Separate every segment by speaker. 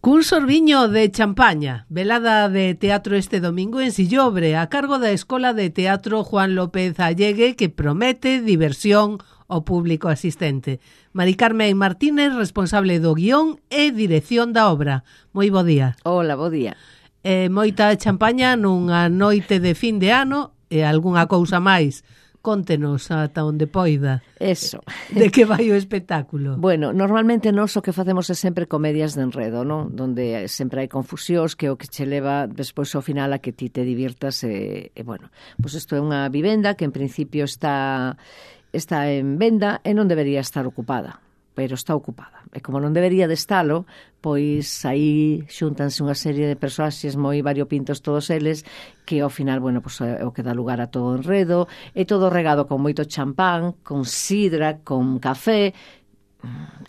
Speaker 1: Cun sorbiño de champaña, velada de teatro este domingo en Sillobre, a cargo da Escola de Teatro Juan López Allegue, que promete diversión ao público asistente. Mari Carmen Martínez, responsable do guión e dirección da obra. Moi bo día.
Speaker 2: Hola, bo día.
Speaker 1: Moita champaña nunha noite de fin de ano e algunha cousa máis. Contenos ata onde poida.
Speaker 2: Eso.
Speaker 1: De que vai o espectáculo?
Speaker 2: Bueno, normalmente nós o que facemos é sempre comedias de enredo, non? Donde sempre hai confusións, que o que che leva despois ao final a que ti te divirtas bueno, pois isto é unha vivenda que en principio está en venda e non debería estar ocupada, pero está ocupada. E como non debería de estalo, pois aí xúntanse unha serie de personaxes moi variopintos todos eles, que ao final, bueno, pois é o que dá lugar a todo o enredo, e todo regado con moito champán, con sidra, con café,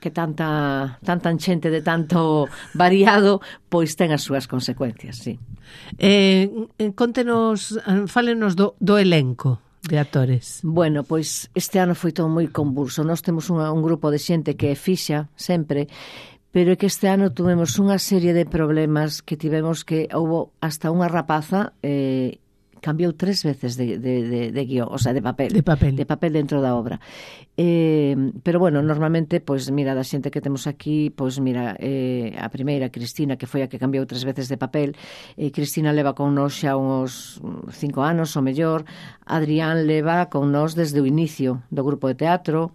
Speaker 2: que tanta xente de tanto variado, pois ten as súas consecuencias, sí.
Speaker 1: Contenos, fálenos do elenco de actores.
Speaker 2: Bueno, pois este ano foi todo moi convulso. Nós temos un grupo de xente que é fixa sempre, pero é que este ano tuvemos unha serie de problemas que tivemos que houbo hasta unha rapaza cambiou 3 veces de guión, o sea, de papel dentro da obra. Pero bueno, normalmente, pois mira, da xente que temos aquí, pois mira, a primeira, Cristina, que foi a que cambiou 3 veces de papel, Cristina leva con nós xa uns 5 anos, ou mellor. Adrián leva con nós desde o inicio do grupo de teatro,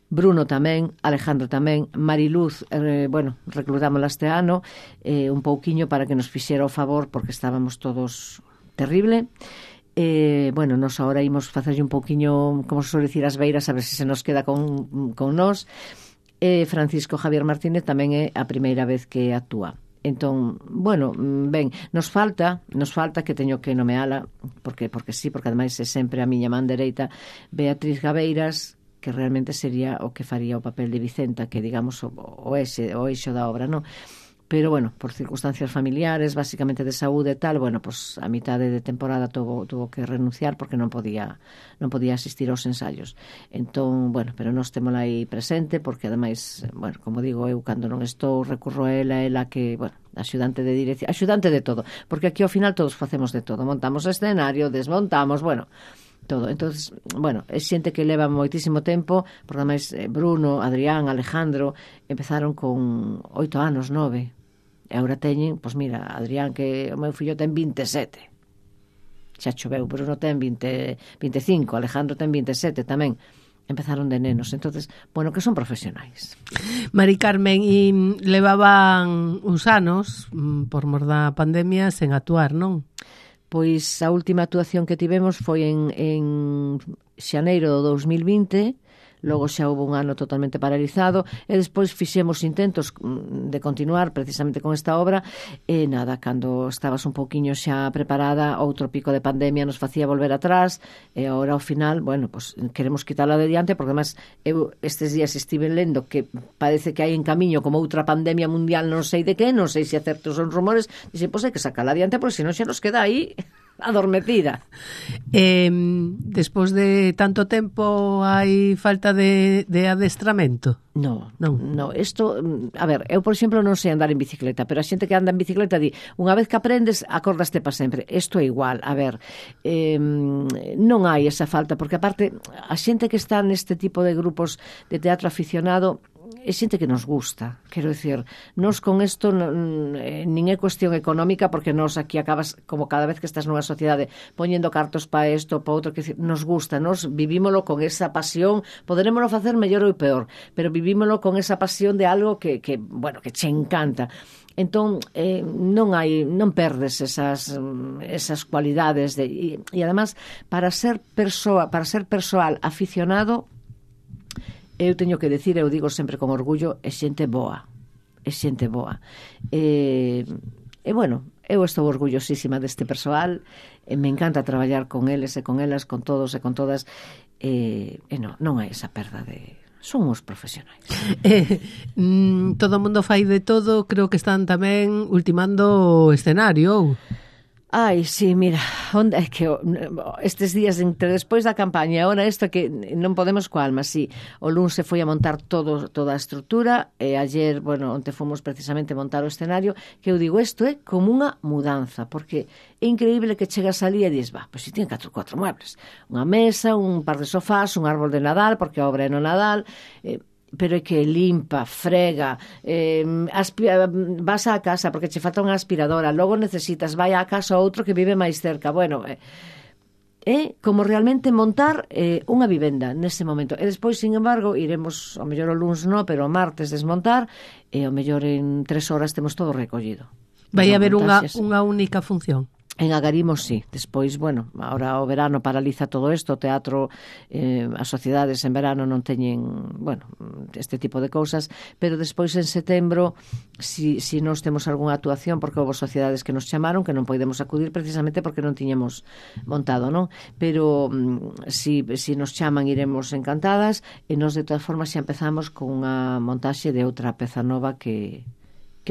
Speaker 2: Bruno tamén, Alejandro tamén, Mariluz, bueno, reclutámola este ano, un pouquiño para que nos fixera o favor, porque estábamos todos terrible. Bueno, nos agora imos facerlle un pouquiño, como se suele dicir, as beiras, a ver se nos queda con nós. Francisco Javier Martínez tamén é a primeira vez que actúa. Entón, bueno, ben, nos falta que teño que nomeala, porque sí, porque ademais é sempre a miña man dereita, Beatriz Gabeiras, que realmente sería o que faría o papel de Vicenta, que digamos o eixo da obra, non? Pero, bueno, por circunstancias familiares, básicamente de saúde e tal, bueno, pues a mitade de temporada tuvo que renunciar porque non podía asistir aos ensaios. Entón, bueno, pero nós témola aí presente porque, ademais, bueno, como digo, eu cando non estou recurro a ela que, bueno, axudante de dirección, axudante de todo, porque aquí ao final todos facemos de todo, montamos escenario, desmontamos, bueno, todo. Entonces, bueno, é xente que leva moitísimo tempo, porque ademais Bruno, Adrián, Alejandro empezaron con 8 anos, 9. E agora teñen, pois mira, Adrián, que o meu fillo ten 27. Xa choveu, Bruno ten 25, Alejandro ten 27 tamén. Empezaron de nenos, entonces, bueno, que son profesionais.
Speaker 1: Mari Carmen, e levaban uns anos, por mor da pandemia, sen actuar, non?
Speaker 2: Pois a última actuación que tivemos foi en xaneiro do 2020, logo xa houve un ano totalmente paralizado, e despois fixemos intentos de continuar precisamente con esta obra, e nada, cando estabas un pouquiño xa preparada, outro pico de pandemia nos facía volver atrás, e agora ao final, bueno, pues queremos quitarla de diante, porque además eu estes días estive lendo que parece que hai en camiño como outra pandemia mundial, non sei de que, non sei se acertos son rumores, e pois hai que sacarla adiante, porque senón xa nos queda aí adormecida.
Speaker 1: Despois de tanto tempo hai falta de adestramento?
Speaker 2: No, isto, a ver, eu por exemplo non sei andar en bicicleta, pero a xente que anda en bicicleta di, unha vez que aprendes, acordaste para sempre. Isto é igual, a ver, non hai esa falta, porque aparte a xente que está neste tipo de grupos de teatro aficionado é xente que nos gusta, quero dicir, nos con isto nin é cuestión económica, porque nos aquí acabas, como cada vez que estás nunha sociedade, poñendo cartos para isto, para outro, que nos gusta, nos vivímolo con esa pasión, poderémolo facer mellor ou peor, pero vivímolo con esa pasión de algo que bueno, que che encanta. Entón, non perdes esas cualidades e además, para ser persoal aficionado, eu teño que decir, eu digo sempre con orgullo, é xente boa. E bueno, eu estou orgullosísima deste persoal, me encanta traballar con eles e con elas, con todos e con todas, e non hai esa perda de... Son uns profesionais.
Speaker 1: Todo o mundo fai de todo, creo que están tamén ultimando o escenario.
Speaker 2: Ai, sí, mira, onde é que estes días entre despois da campaña e agora isto que non podemos coa alma, sí. O luns se foi a montar toda a estrutura e ayer, bueno, onte fomos precisamente montar o escenario, que eu digo, isto é como unha mudanza, porque é increíble que chegas ali e dis, pois si ten 4 muebles, unha mesa, un par de sofás, un árbol de Nadal, porque a obra é no Nadal, pero é que limpa, frega, vas á casa porque che falta unha aspiradora, logo necesitas, vai á casa outro que vive máis cerca. Bueno, é como realmente montar unha vivenda nese momento. E despois, sin embargo, iremos, ao mellor o luns no, pero o martes desmontar, e ao mellor en 3 horas temos todo recollido.
Speaker 1: Vai haber unha única función?
Speaker 2: En Agarimo, sí. Despois, bueno, ahora o verano paraliza todo isto, o teatro, as sociedades en verano non teñen, bueno, este tipo de cousas, pero despois en setembro, si nos temos algunha actuación, porque houve sociedades que nos chamaron, que non podemos acudir precisamente porque non tiñamos montado, non? Pero si nos chaman iremos encantadas, e nos de todas formas xa empezamos con unha montaxe de outra peza nova que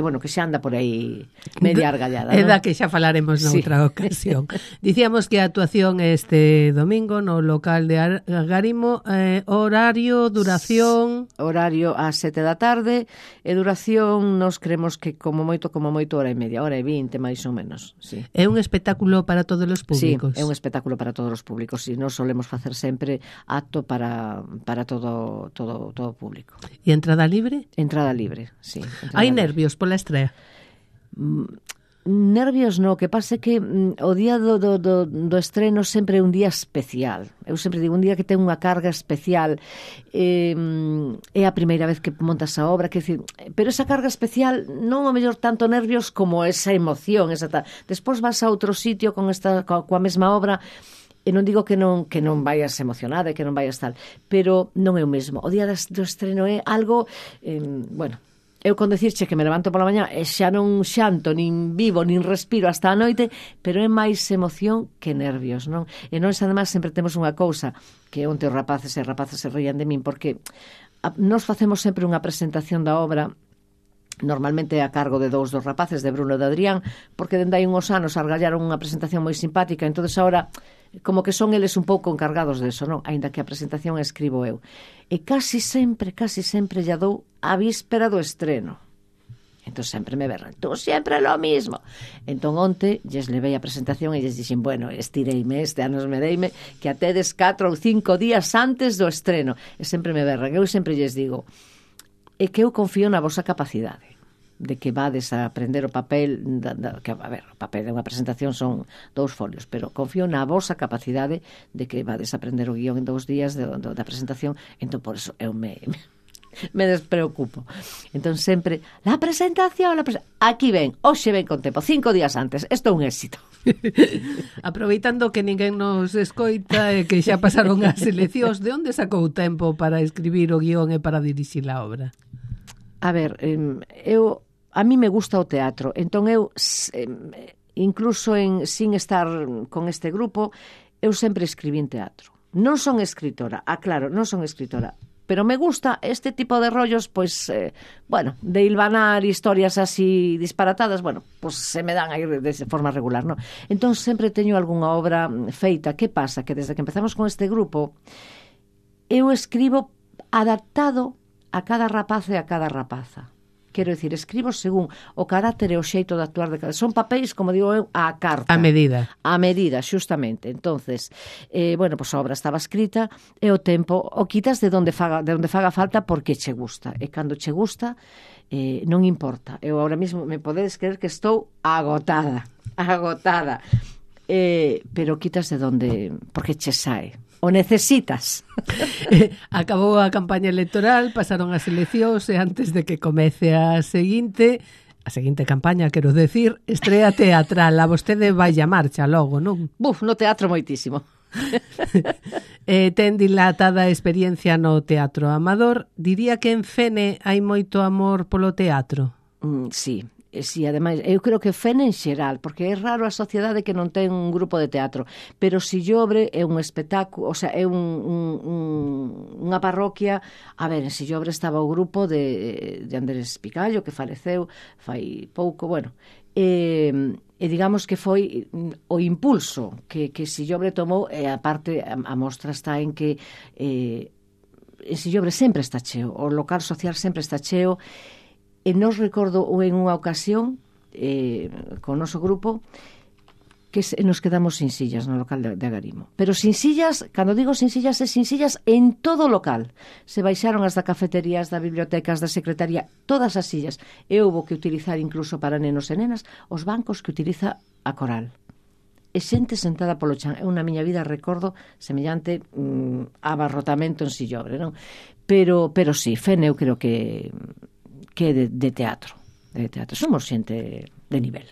Speaker 2: bueno, que xa anda por aí media argallada,
Speaker 1: é da que xa falaremos noutra ocasión. Dicíamos que a actuación este domingo no local de Agarimo, horario, duración...
Speaker 2: Horario ás 7 da tarde, e duración nos creemos que como moito hora e media, hora e 20 máis ou menos, sí.
Speaker 1: É un espectáculo para todos os públicos?
Speaker 2: Sí, é un espectáculo para todos os públicos, sí, nos solemos facer sempre acto para todo o público.
Speaker 1: E entrada libre?
Speaker 2: Entrada libre, sí.
Speaker 1: Hai nervios pola estrea?
Speaker 2: Nervios no, que pase que o día do estreno sempre é un día especial. Eu sempre digo, un día que ten unha carga especial, é a primeira vez que montas a obra, que decir, pero esa carga especial non o mellor tanto nervios como esa emoción, despois vas a outro sitio coa mesma obra, e non digo que non vayas emocionada e que non vayas tal, pero non é o mesmo. O día do estreno é algo, bueno, eu con decirche que me levanto pola mañá e xa non xanto, nin vivo, nin respiro hasta a noite, pero é máis emoción que nervios, non? E nós, además, sempre temos unha cousa, que onte os rapaces e rapaces se rían de min, porque nós facemos sempre unha presentación da obra, normalmente a cargo de 2 dos rapaces, de Bruno e de Adrián, porque dende hai uns anos argallaron unha presentación moi simpática, entonces ahora como que son eles un pouco encargados deso, non? Aínda que a presentación a escribo eu. E casi sempre lla dou a víspera do estreno. Entón sempre me berran, tú sempre lo mismo. Entón onte lles levei a presentación e lles dixen, bueno, estireime, este ano me deime que atedes 4 ou 5 días antes do estreno. E sempre me berran. Eu sempre lles digo, é que eu confío na vosa capacidade de que vades a aprender o papel, que, a ver, o papel de unha presentación son 2 folios, pero confío na vosa capacidade de que vades a aprender o guión en 2 días da presentación, entón por eso eu me despreocupo. Entón sempre, la presentación, aquí ven, hoxe ven con tempo, 5 días antes, isto é un éxito.
Speaker 1: Aproveitando que ninguén nos escoita e que xa pasaron as eleccións, de onde sacou tempo para escribir o guión e para dirixir a obra?
Speaker 2: A ver, a mí me gusta o teatro, entón eu, incluso sin estar con este grupo, eu sempre escribín teatro. Non son escritora, claro, non son escritora, pero me gusta este tipo de rollos, pois, bueno, de hilvanar historias así disparatadas, bueno, pois se me dan aí de forma regular, non? Entón sempre teño algunha obra feita. Que pasa? Que desde que empezamos con este grupo, eu escribo adaptado a cada rapaz e a cada rapaza. Quero dicir, escribo según o carácter e o xeito de actuar de cada... Son papéis, como digo eu, a carta.
Speaker 1: A medida.
Speaker 2: A medida, xustamente. Entonces, bueno, pues a obra estaba escrita e o tempo o quitas de onde faga falta porque che gusta. E cando che gusta, non importa. Eu ahora mesmo me podedes creer que estou agotada. Pero quitas de onde... porque che sae. O necesitas.
Speaker 1: Acabou a campaña electoral, pasaron as eleccións e antes de que comece a seguinte campaña, quero decir, estrea teatral. A vostede vai a marcha logo, non?
Speaker 2: No teatro moitísimo.
Speaker 1: Ten dilatada experiencia no teatro amador. Diría que en Fene hai moito amor polo teatro.
Speaker 2: Sí. si, ademais, eu creo que Fene en xeral, porque é raro a sociedade que non ten un grupo de teatro, pero Sillobre é un espectáculo, o sea, é unha parroquia. A ver, en Sillobre estaba o grupo de Andrés Picallo, que faleceu fai pouco, bueno, e digamos que foi o impulso que Sillobre tomou, e a parte, a mostra está en que en Sillobre sempre está cheo, o local social sempre está cheo. E nos recordo en unha ocasión con o noso grupo que nos quedamos sin sillas no local de Agarimo. Pero sin sillas, cando digo sin sillas, é sin sillas en todo o local. Se baixaron as da cafetería, as da biblioteca, as da secretaría, todas as sillas. E houbo que utilizar incluso para nenos e nenas os bancos que utiliza a Coral. E xente sentada polo chan. Eu na miña vida recordo semellante abarrotamento en Sillobre, non? Pero sí, Fene eu creo que é de teatro. Somos xente de nivel.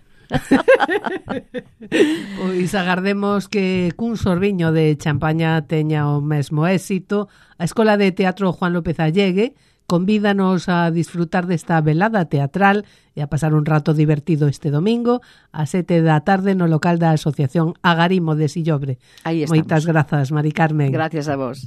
Speaker 1: Pois agardemos que cun sorbiño de champaña teña o mesmo éxito. A Escola de Teatro Juan López Allegue convídanos a disfrutar desta velada teatral e a pasar un rato divertido este domingo a 7 da tarde no local da Asociación Agarimo de Sillobre.
Speaker 2: Aí estamos.
Speaker 1: Moitas grazas, Mari Carmen.
Speaker 2: Gracias a vos.